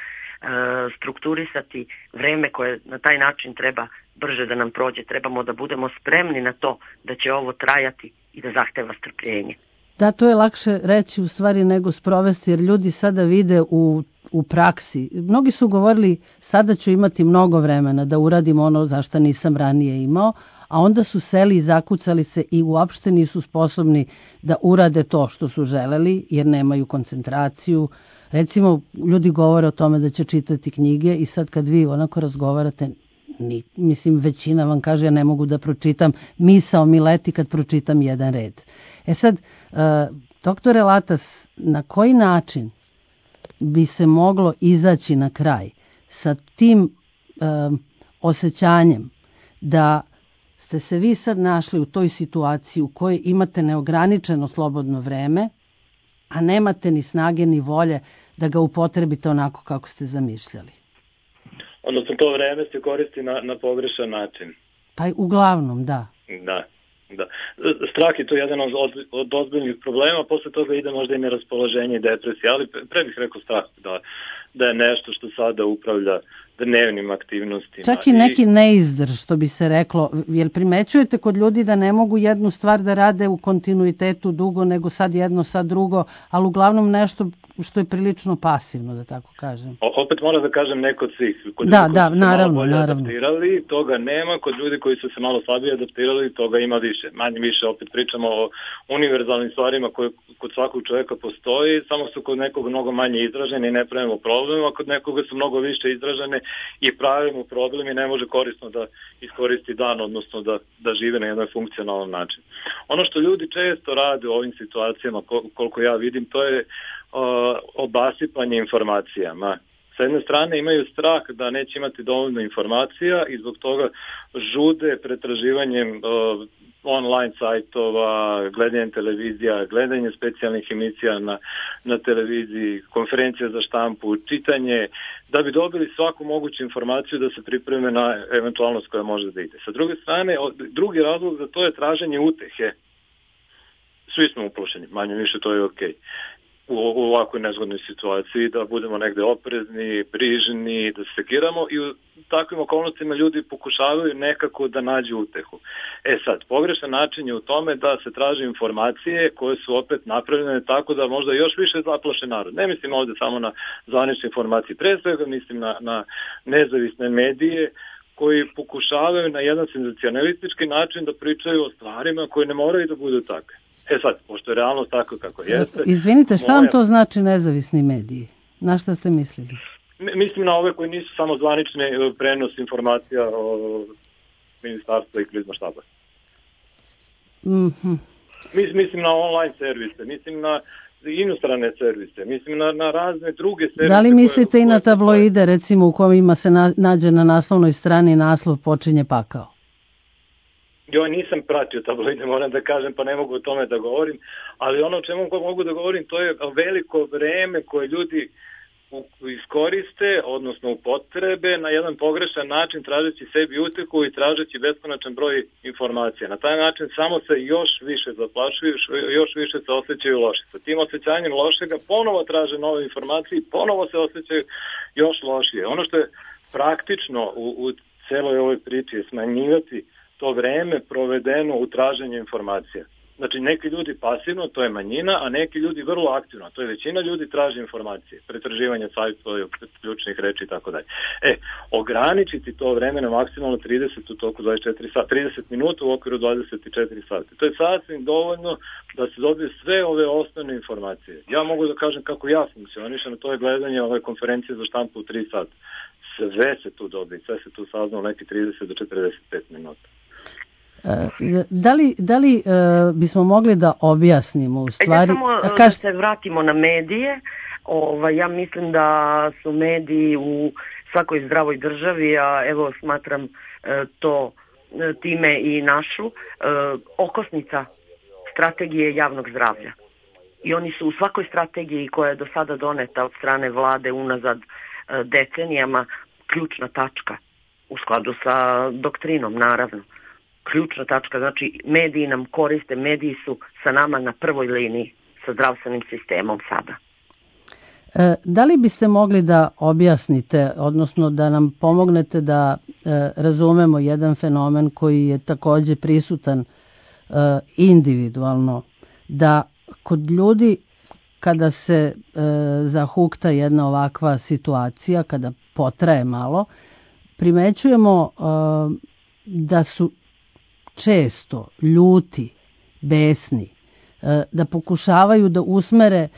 [SPEAKER 5] strukturisati vreme koje na taj način treba brže da nam prođe. Trebamo da budemo spremni na to da će ovo trajati i da zahteva strpljenje.
[SPEAKER 3] Da, to je lakše reći u stvari nego sprovesti, jer ljudi sada vide u, u praksi. Mnogi su govorili sada ću imati mnogo vremena da uradim ono za što nisam ranije imao, a onda su seli i zakucali se i uopšte nisu sposobni da urade to što su želeli, jer nemaju koncentraciju. Recimo, ljudi govore o tome da će čitati knjige i sad kad vi onako razgovarate, Ni, mislim većina vam kaže ja ne mogu da pročitam, misao mi leti kad pročitam jedan red. E sad, uh, doktore Latas, na koji način bi se moglo izaći na kraj sa tim uh, osjećanjem da ste se vi sad našli u toj situaciji u kojoj imate neograničeno slobodno vreme, a nemate ni snage ni volje da ga upotrebite onako kako ste zamišljali?
[SPEAKER 2] Odnosno to vreme se koristi na, na pogrešan način.
[SPEAKER 3] Pa uglavnom, da.
[SPEAKER 2] Da, da. Strah je to jedan od, od ozbiljnih problema, posle toga ide možda i neraspoloženje i depresija, ali pre bih rekao strah da, da je nešto što sada upravlja dnevnim aktivnostima.
[SPEAKER 3] Čak i neki neizdrž, što bi se reklo. Jel primećujete kod ljudi da ne mogu jednu stvar da rade u kontinuitetu dugo, nego sad jedno, sad drugo, ali uglavnom nešto što je prilično pasivno, da tako kažem.
[SPEAKER 2] O, opet moram da kažem neko od svih. Kod
[SPEAKER 3] da,
[SPEAKER 2] ljudi
[SPEAKER 3] da,
[SPEAKER 2] koji su
[SPEAKER 3] naravno,
[SPEAKER 2] se malo bolje
[SPEAKER 3] naravno.
[SPEAKER 2] adaptirali, toga nema. Kod ljudi koji su se malo slabije adaptirali, toga ima više. Manje više opet pričamo o univerzalnim stvarima koje kod svakog čovjeka postoji, samo su kod nekog mnogo manje izražene i ne pravimo problem, a kod nekoga su mnogo više izražene i pravimo problem i ne može korisno da iskoristi dan, odnosno da, da žive na jedan funkcionalan način. Ono što ljudi često rade u ovim situacijama, koliko ja vidim, to je uh, obasipanje informacijama. Sa jedne strane imaju strah da neće imati dovoljno informacija i zbog toga žude pretraživanjem uh, online sajtova, gledanje televizija, gledanje specijalnih emisija na, na televiziji, konferencija za štampu, čitanje, da bi dobili svaku moguću informaciju da se pripreme na eventualnost koja može da ide. Sa druge strane, drugi razlog za to je traženje utehe. Svi smo uplašeni, manje više to je okej. U, u ovakvoj nezgodnoj situaciji, da budemo negde oprezni, brižni, da se sekiramo i u takvim okolnostima ljudi pokušavaju nekako da nađu utehu. E sad, pogrešan način je u tome da se traže informacije koje su opet napravljene tako da možda još više zaplaše narod. Ne mislim ovde samo na zvanične informacije, pre svega mislim na, na nezavisne medije koji pokušavaju na jedan senzacionalistički način da pričaju o stvarima koje ne moraju da budu takve. E sad, pošto je realnost tako kako jeste...
[SPEAKER 3] Izvinite, šta moja... vam to znači nezavisni mediji? Na šta ste mislili?
[SPEAKER 2] Mislim na ove koji nisu samo zvanične prenos informacija o ministarstva i krizma štaba.
[SPEAKER 3] Mm-hmm.
[SPEAKER 2] Mislim na online servise, mislim na inostrane servise, mislim na, na razne druge servise...
[SPEAKER 3] Da li mislite koje, i na tabloide, koje... recimo u kojima se na, nađe na naslovnoj strani naslov počinje pakao?
[SPEAKER 2] Ja nisam pratio tabloide, moram da kažem, pa ne mogu o tome da govorim, ali ono o čemu mogu da govorim, to je veliko vreme koje ljudi iskoriste, odnosno upotrebe na jedan pogrešan način, tražeći sebi utehu i tražeći beskonačan broj informacija. Na taj način samo se još više zaplašuju, još više se osjećaju loše. Sa tim osjećanjem lošega ponovo traže nove informacije i ponovo se osjećaju još lošije. Ono što je praktično u, u celoj ovoj priči je smanjivati to vreme provedeno u traženju informacija. Znači, neki ljudi pasivno, to je manjina, a neki ljudi vrlo aktivno, to je većina ljudi traži informacije, pretraživanje sajtova, ključnih reči i tako dalje. E, ograničiti to vreme na maksimalno trideset u toku dvadeset četiri sata, trideset minuta u okviru dvadeset četiri sata. To je sasvim dovoljno da se dobije sve ove osnovne informacije. Ja mogu da kažem kako ja funkcionišem, to je gledanje ove konferencije za štampu u tri sata. Sve se tu dobije, sve se tu sazna u neki trideset do četrdeset pet minuta.
[SPEAKER 3] Da li, da li uh, bismo mogli da objasnimo u stvari...
[SPEAKER 5] Ja samo Kaž... da se vratimo na medije. Ovaj, ja mislim da su mediji u svakoj zdravoj državi, a evo smatram uh, to uh, time i našu, uh, okosnica strategije javnog zdravlja. I oni su u svakoj strategiji koja je do sada doneta od strane vlade unazad uh, decenijama ključna tačka u skladu sa doktrinom, naravno. Ključna tačka, znači mediji nam koriste, mediji su sa nama na prvoj liniji sa zdravstvenim sistemom sada.
[SPEAKER 3] E, da li biste mogli da objasnite, odnosno da nam pomognete da e, razumemo jedan fenomen koji je takođe prisutan e, individualno, da kod ljudi kada se e, zahukta jedna ovakva situacija, kada potraje malo, primećujemo e, da su često ljuti, besni, da pokušavaju da usmere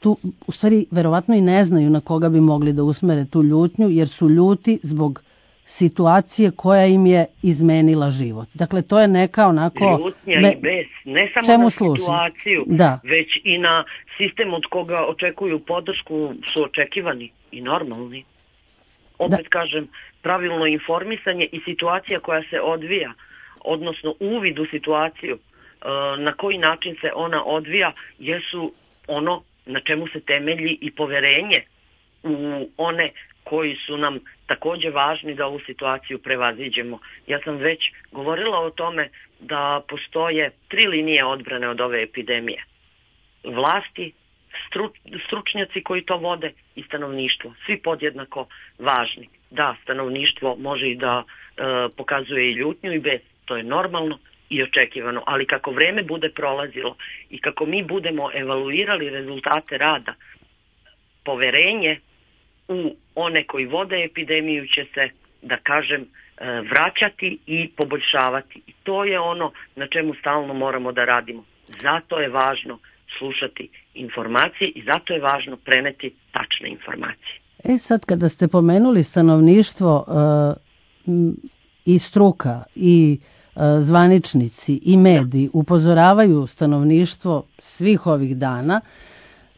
[SPEAKER 3] tu, u stvari verovatno i ne znaju na koga bi mogli da usmere tu ljutnju, jer su ljuti zbog situacije koja im je izmenila život. Dakle, to je neka onako...
[SPEAKER 5] Ljutnja me... i bes, ne samo Čemu na služi? Situaciju,
[SPEAKER 3] da.
[SPEAKER 5] Već i na sistem od koga očekuju podršku, su očekivani i normalni. Opet da. kažem, pravilno informisanje i situacija koja se odvija, odnosno uvid u situaciju, na koji način se ona odvija, jesu ono na čemu se temelji i poverenje u one koji su nam takođe važni da ovu situaciju prevaziđemo. Ja sam već govorila o tome da postoje tri linije odbrane od ove epidemije. Vlasti, struč, stručnjaci koji to vode i stanovništvo. Svi podjednako važni. Da, stanovništvo može i da e, pokazuje i ljutnju i bes. To je normalno i očekivano, ali kako vreme bude prolazilo i kako mi budemo evaluirali rezultate rada, poverenje u one koji vode epidemiju će se, da kažem, vraćati i poboljšavati. I to je ono na čemu stalno moramo da radimo. Zato je važno slušati informacije i zato je važno preneti tačne informacije.
[SPEAKER 3] E sad, kada ste pomenuli stanovništvo uh, i struka i zvaničnici i mediji upozoravaju stanovništvo svih ovih dana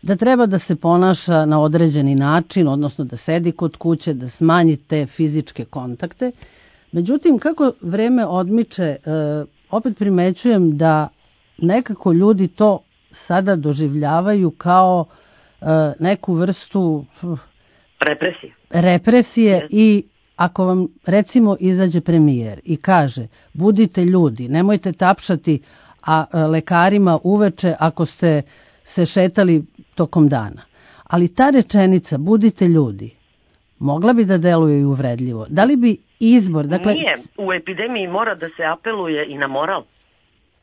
[SPEAKER 3] da treba da se ponaša na određeni način, odnosno da sedi kod kuće, da smanji te fizičke kontakte. Međutim, kako vreme odmiče, opet primećujem da nekako ljudi to sada doživljavaju kao uh, neku vrstu uh,
[SPEAKER 5] represije.
[SPEAKER 3] represije yes. I ako vam recimo izađe premijer i kaže budite ljudi, nemojte tapšati a, a lekarima uveče ako ste se šetali tokom dana. Ali ta rečenica budite ljudi mogla bi da deluje i uvredljivo. Da li bi izbor... Dakle...
[SPEAKER 5] Nije, u epidemiji mora da se apeluje i na moral.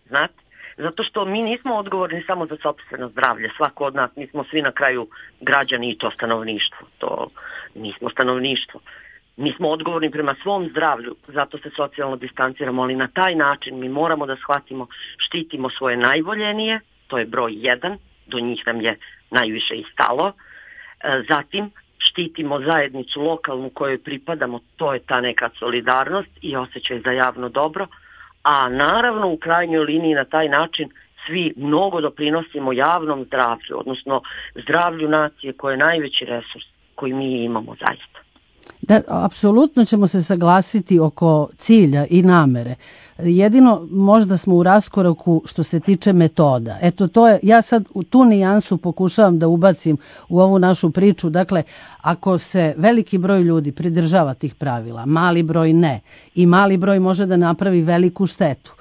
[SPEAKER 5] Znate? Zato što mi nismo odgovorni samo za sopstveno zdravlje. Svako od nas, mi smo svi na kraju građani i to stanovništvo. To nismo stanovništvo. Mi smo odgovorni prema svom zdravlju, zato se socijalno distanciramo, ali na taj način mi moramo da shvatimo, štitimo svoje najvoljenije, to je broj jedan, do njih nam je najviše i stalo. Zatim, štitimo zajednicu lokalnu kojoj pripadamo, to je ta neka solidarnost i osjećaj za javno dobro, a naravno u krajnjoj liniji na taj način svi mnogo doprinosimo javnom zdravlju, odnosno zdravlju nacije koje je najveći resurs koji mi imamo zaista.
[SPEAKER 3] Da, apsolutno ćemo se saglasiti oko cilja i namere. Jedino možda smo u raskoraku što se tiče metoda. Eto to je, ja sad u tu nijansu pokušavam da ubacim u ovu našu priču. Dakle, ako se veliki broj ljudi pridržava tih pravila, mali broj ne, i mali broj može da napravi veliku štetu,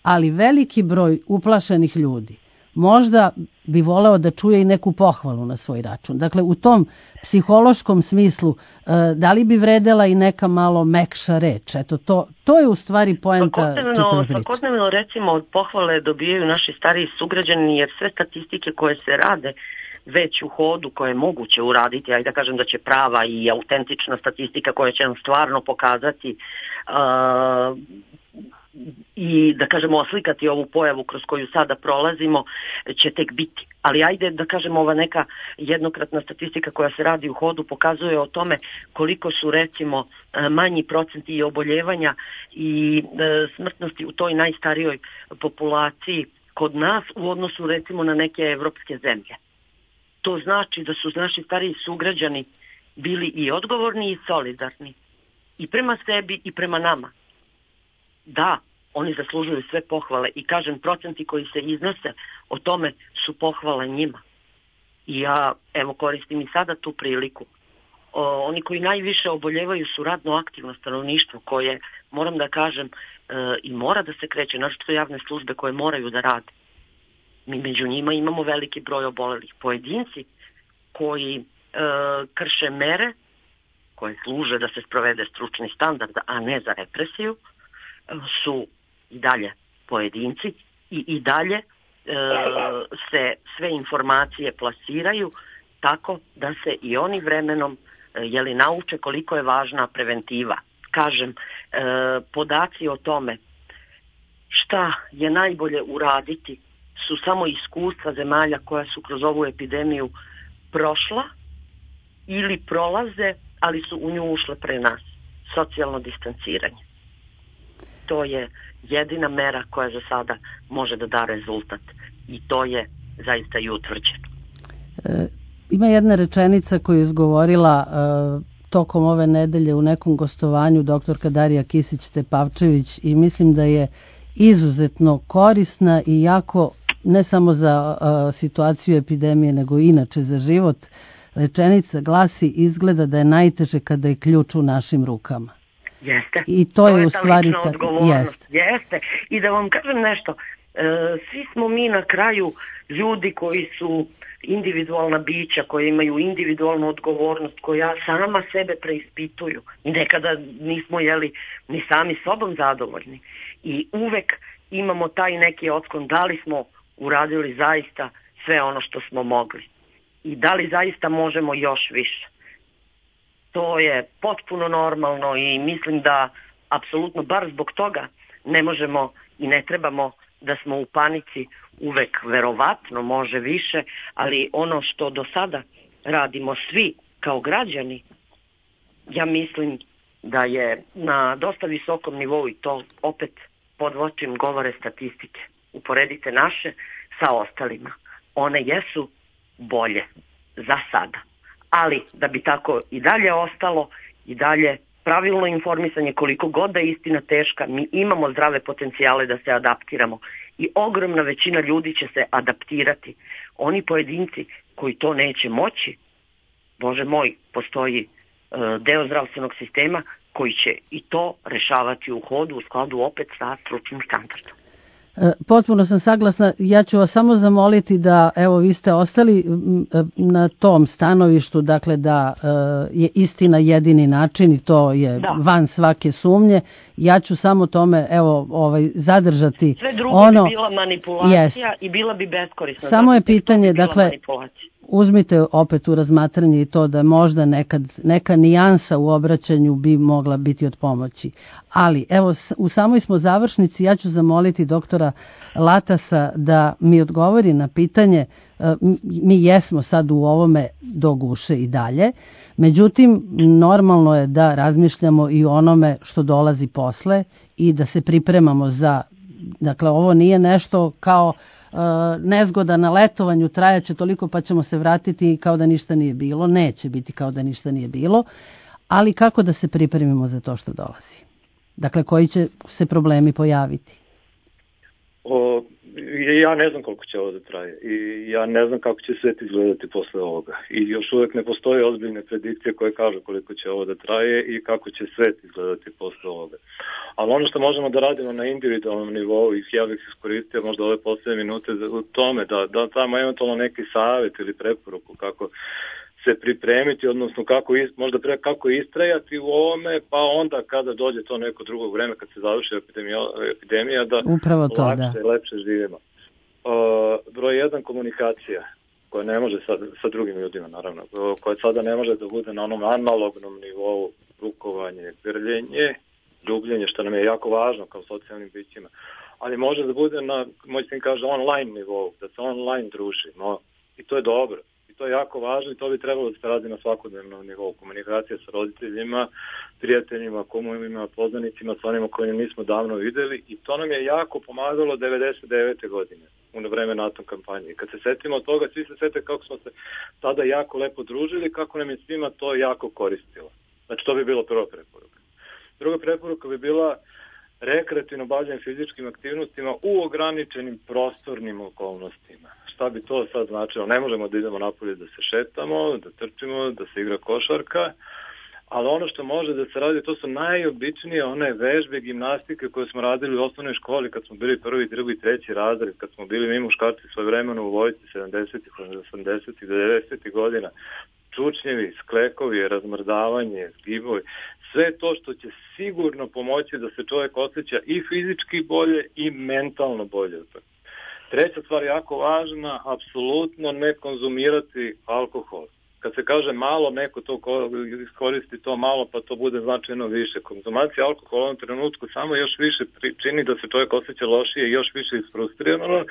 [SPEAKER 3] ali veliki broj uplašenih ljudi možda bi voleo da čuje i neku pohvalu na svoj račun. Dakle, u tom psihološkom smislu, da li bi vredela i neka malo mekša reč? Eto, to, to je u stvari poenta čitave priče.
[SPEAKER 5] Svakodnevno, recimo, od pohvale dobijaju naši stariji sugrađani, jer sve statistike koje se rade već u hodu, koje je moguće uraditi, ajde da kažem da će prava i autentična statistika koja će nam stvarno pokazati uh, i da kažemo oslikati ovu pojavu kroz koju sada prolazimo će tek biti. Ali ajde da kažemo ova neka jednokratna statistika koja se radi u hodu pokazuje o tome koliko su recimo manji procenti i oboljevanja i smrtnosti u toj najstarijoj populaciji kod nas u odnosu recimo na neke evropske zemlje. To znači da su naši stariji sugrađani bili i odgovorni i solidarni i prema sebi i prema nama. Da, oni zaslužuju sve pohvale i kažem, procenti koji se iznose o tome su pohvale njima. I ja, evo, koristim i sada tu priliku. O, oni koji najviše oboljevaju su radno aktivno stanovništvo koje, moram da kažem, e, i mora da se kreće, naročito javne službe koje moraju da rade. Mi među njima imamo veliki broj obolelih. Pojedinci koji e, krše mere koje služe da se sprovede stručni standard, a ne za represiju, su i dalje pojedinci i i dalje e, se sve informacije plasiraju tako da se i oni vremenom e, jeli, nauče koliko je važna preventiva. Kažem, e, podaci o tome šta je najbolje uraditi su samo iskustva zemalja koja su kroz ovu epidemiju prošla ili prolaze, ali su u nju ušle pre nas. Socijalno distanciranje. To je jedina mera koja za sada može da da rezultat i to je zaista i utvrđeno.
[SPEAKER 3] E, ima jedna rečenica koju je izgovorila e, tokom ove nedelje u nekom gostovanju doktorka Darija Kisić-Tepavčević i mislim da je izuzetno korisna i jako ne samo za e, situaciju epidemije nego i inače za život. Rečenica glasi: izgleda da je najteže kada je ključ u našim rukama.
[SPEAKER 5] Jeste.
[SPEAKER 3] I to, to je u stvari
[SPEAKER 5] ta
[SPEAKER 3] jeste.
[SPEAKER 5] Jeste. I da vam kažem nešto, e, svi smo mi na kraju ljudi koji su individualna bića, koji imaju individualnu odgovornost, koja sama sebe preispituju i nekada nismo jeli ni sami sobom zadovoljni. I uvek imamo taj neki otklon da li smo uradili zaista sve ono što smo mogli i da li zaista možemo još više. To je potpuno normalno i mislim da apsolutno bar zbog toga ne možemo i ne trebamo da smo u panici. Uvek verovatno može više, ali ono što do sada radimo svi kao građani, ja mislim da je na dosta visokom nivou i to opet podvlačim govore statistike. Uporedite naše sa ostalima. One jesu bolje za sada. Ali da bi tako i dalje ostalo, i dalje pravilno informisanje, koliko god da je istina teška, mi imamo zdrave potencijale da se adaptiramo i ogromna većina ljudi će se adaptirati. Oni pojedinci koji to neće moći, Bože moj, postoji uh, deo zdravstvenog sistema koji će i to rešavati u hodu u skladu opet sa stručnim standardom.
[SPEAKER 3] Potpuno sam saglasna. Ja ću vas samo zamoliti da, evo, vi ste ostali na tom stanovištu, dakle da je istina jedini način i to je da. van svake sumnje. Ja ću samo tome, evo, ovaj, zadržati.
[SPEAKER 5] Sve drugo
[SPEAKER 3] ono,
[SPEAKER 5] bi bila manipulacija
[SPEAKER 3] jest.
[SPEAKER 5] i bila bi beskorisna.
[SPEAKER 3] Samo je pitanje, dakle, uzmite opet u razmatranje i to da možda nekad, neka nijansa u obraćanju bi mogla biti od pomoći. Ali, evo, u samoj smo završnici, ja ću zamoliti doktora Latasa da mi odgovori na pitanje, mi jesmo sad u ovome do guše i dalje, međutim, normalno je da razmišljamo i o onome što dolazi posle i da se pripremamo za, dakle, ovo nije nešto kao nezgoda na letovanju, trajaće toliko pa ćemo se vratiti kao da ništa nije bilo. Neće biti kao da ništa nije bilo, ali kako da se pripremimo za to što dolazi? Dakle, koji će se problemi pojaviti?
[SPEAKER 2] O, ja ne znam koliko će ovo da traje i ja ne znam kako će svet izgledati posle ovoga i još uvek ne postoje ozbiljne predikcije koje kažu koliko će ovo da traje i kako će svet izgledati posle ovoga. Ali ono što možemo da radimo na individualnom nivou i ja bih iskoristio možda ove poslednje minute u tome da, da tamo eventualno neki savjet ili preporuku kako se pripremiti, odnosno kako možda pre, kako istrajati u ovome, pa onda kada dođe to neko drugo vreme, kad se završi epidemija, epidemija da
[SPEAKER 3] upravo to,
[SPEAKER 2] lakše,
[SPEAKER 3] da.
[SPEAKER 2] lepše živimo. Uh, broj jedan, komunikacija, koja ne može sa, sa drugim ljudima, naravno, koja sada ne može da bude na onom analognom nivou, rukovanje, grljenje, ljubljenje, što nam je jako važno kao socijalnim bićima, ali može da bude na, moj sin kaže, online nivou, da se online družimo i to je dobro. To je jako važno i to bi trebalo da se radi na svakodnevnom nivou. Komunikacija sa roditeljima, prijateljima, kumovima, poznanicima, sa onima koje nismo davno videli i to nam je jako pomagalo devedeset devete godine u vreme NATO kampanje. I kad se setimo toga, svi se sete kako smo se tada jako lepo družili, kako nam je svima to jako koristilo. Znači to bi bilo prva preporuka. Druga preporuka bi bila rekreativno bavljanje fizičkim aktivnostima u ograničenim prostornim okolnostima. Šta bi to sad značilo? Ne možemo da idemo napolje da se šetamo, da trčimo, da se igra košarka, ali ono što može da se radi, to su najobičnije one vežbe, gimnastike koje smo radili u osnovnoj školi kad smo bili prvi, drugi, treći razred, kad smo bili mi muškarci svojevremeno u vojsci sedamdesetih, osamdesetih, devedesetih godina. Čučnjevi, sklekovi, razmrdavanje, zgibovi, sve to što će sigurno pomoći da se čovjek osjeća i fizički bolje i mentalno bolje. Treća stvar jako važna, apsolutno ne konzumirati alkohol. Kad se kaže malo, neko to iskoristi to malo, pa to bude značajno više. Konzumacija alkohola u ovom trenutku samo još više čini da se čovjek osjeća lošije i još više isfrustrirano,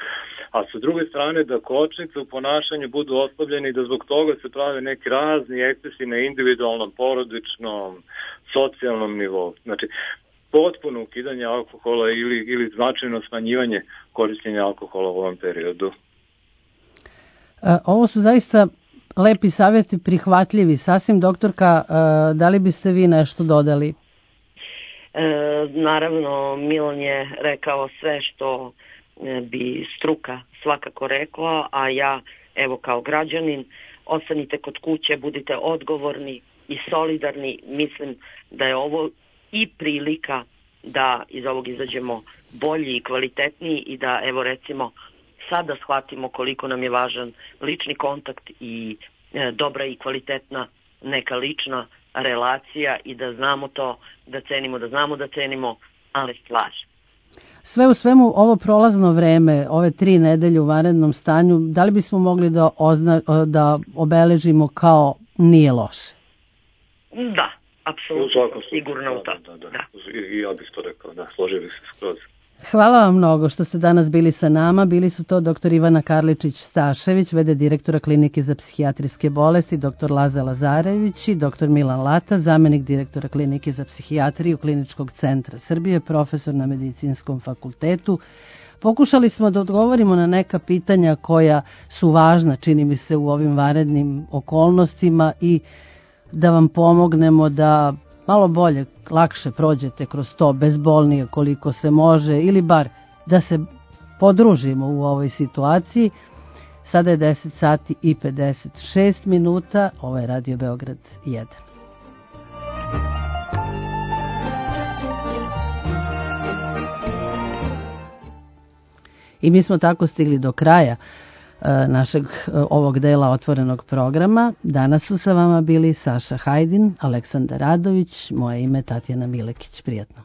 [SPEAKER 2] a sa druge strane da kočnice u ponašanju budu oslabljeni i da zbog toga se prave neki razni ekscesi na individualnom, porodičnom, socijalnom nivou. Znači, potpuno ukidanje alkohola ili, ili značajno smanjivanje korištenja alkohola u ovom periodu.
[SPEAKER 3] Ovo su zaista lepi savjeti, prihvatljivi. Sasvim, doktorka, da li biste vi nešto dodali?
[SPEAKER 5] E, naravno, Milan je rekao sve što bi struka svakako rekla, a ja, evo kao građanin, ostanite kod kuće, budite odgovorni i solidarni. Mislim da je ovo i prilika da iz ovog izađemo bolji i kvalitetniji i da, evo recimo, sada shvatimo koliko nam je važan lični kontakt i e, dobra i kvalitetna neka lična relacija i da znamo to, da cenimo, da znamo da cenimo, ali stvar.
[SPEAKER 3] Sve u svemu, ovo prolazno vreme, ove tri nedelje u vanrednom stanju, da li bismo mogli da, ozna, da obeležimo kao nije loše?
[SPEAKER 5] Da, apsolutno, sigurno u to.
[SPEAKER 2] Da, da, da. I ja bih to rekao, da, složio bih se skroz.
[SPEAKER 3] Hvala vam mnogo što ste danas bili sa nama. Bili su to doktor Ivana Karličić-Stašević, v d direktora Klinike za psihijatrijske bolesti, doktor Laza Lazarević i doktor Milan Lata, zamenik direktora Klinike za psihijatriju Kliničkog centra Srbije, profesor na Medicinskom fakultetu. Pokušali smo da odgovorimo na neka pitanja koja su važna, čini mi se, u ovim vanrednim okolnostima i da vam pomognemo da malo bolje, lakše prođete kroz to, bezbolnije koliko se može, ili bar da se podružimo u ovoj situaciji. Sada je deset sati i pedeset šest minuta, ovo je Radio Beograd jedan. I mi smo tako stigli do kraja e, našeg e, ovog dela otvorenog programa. Danas su sa vama bili Saša Hajdin, Aleksandar Radović, moje ime Tatjana Milekić. Prijatno.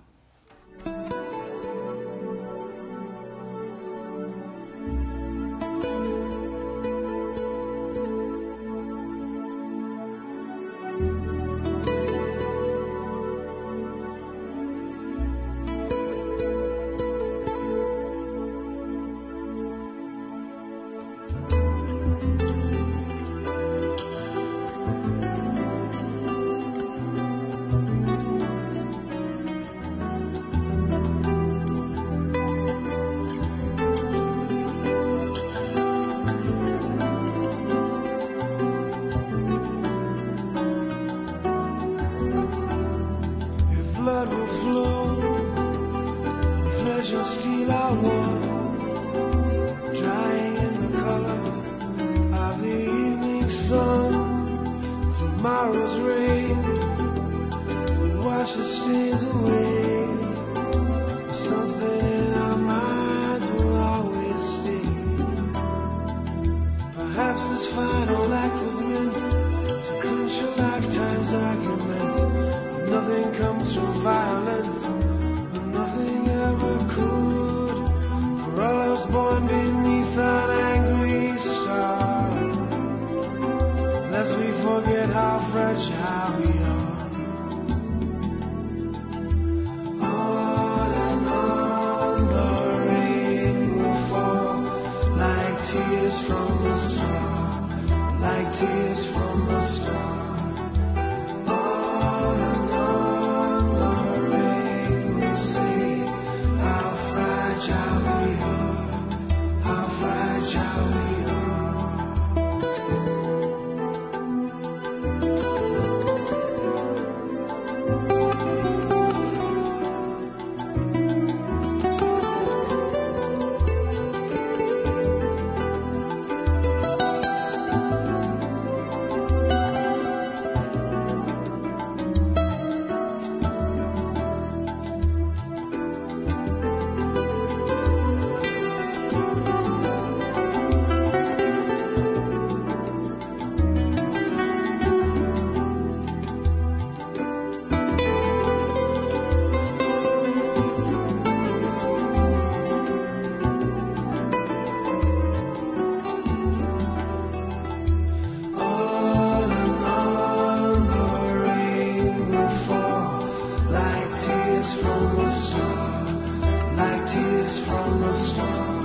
[SPEAKER 9] From a star, like tears from a star.